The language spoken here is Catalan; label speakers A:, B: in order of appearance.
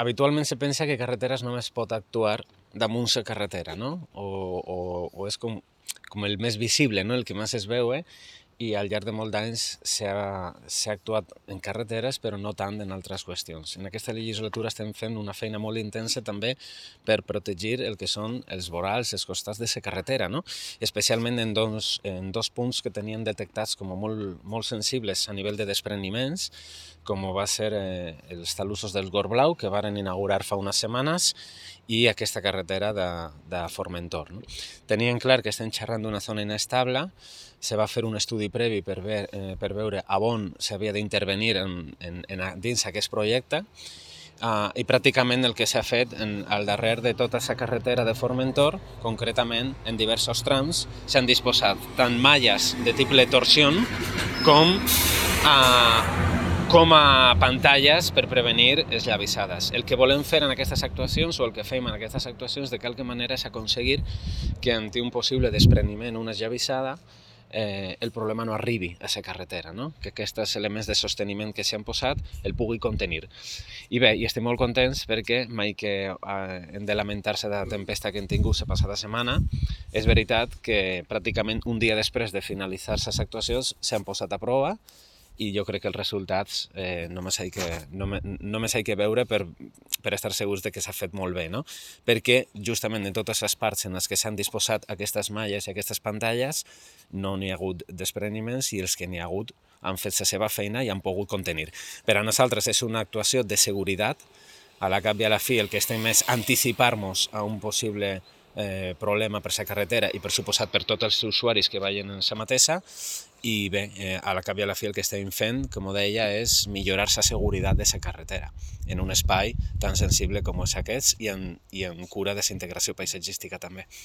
A: habitualment se pensa que carreteres només pot actuar damunt la carretera, no? O és com el més visible, no? El que més es veu, i al llarg de molts anys s'ha actuat en carreteres, però no tant en altres qüestions. En aquesta legislatura estem fent una feina molt intensa també per protegir el que són els vorals, els costats de la carretera, no? Especialment en dos punts que tenien detectats com a molt sensibles a nivell de despreniments, com va ser els talussos del Gorblau, que varen inaugurar fa unes setmanes, i aquesta carretera de Formentor. No? Tenien clar que estem xerrant d'una zona inestable, se va fer un estudi previ per veure on s'havia d'intervenir dins aquest projecte, i pràcticament el que s'ha fet al darrere de tota la carretera de Formentor, concretament en diversos trams, s'han disposat tant malles de tipus torsión com a pantalles per prevenir les llavissades. El que volem fer en aquestes actuacions, o el que fem en aquestes actuacions, de qualque manera és aconseguir que ante un possible despreniment o una llavissada el problema no arribi a la carretera, no? Que aquests elements de sosteniment que s'han posat el pugui contenir. I bé, i estem molt contents perquè mai que hem de lamentar-se de la tempesta que hem tingut la passada setmana, és veritat que pràcticament un dia després de finalitzar les actuacions s'han posat a prova, i jo crec que els resultats només hi que veure per estar segurs de que s'ha fet molt bé, no? Perquè justament en totes les parts en les que s'han disposat aquestes malles i aquestes pantalles no n'hi ha hagut despreniments, i els que n'hi ha hagut han fet la seva feina i han pogut contenir. Per a nosaltres és una actuació de seguretat, a la cap i a la fi el que estem és anticipar-nos a un possible problema per la carretera i per suposat per tots els usuaris que vagin en la mateixa, i bé, a la cap i a la fi el que estem fent, com deia, és millorar la seguretat de la carretera en un espai tan sensible com és aquest, i en cura de la integració paisatgística també.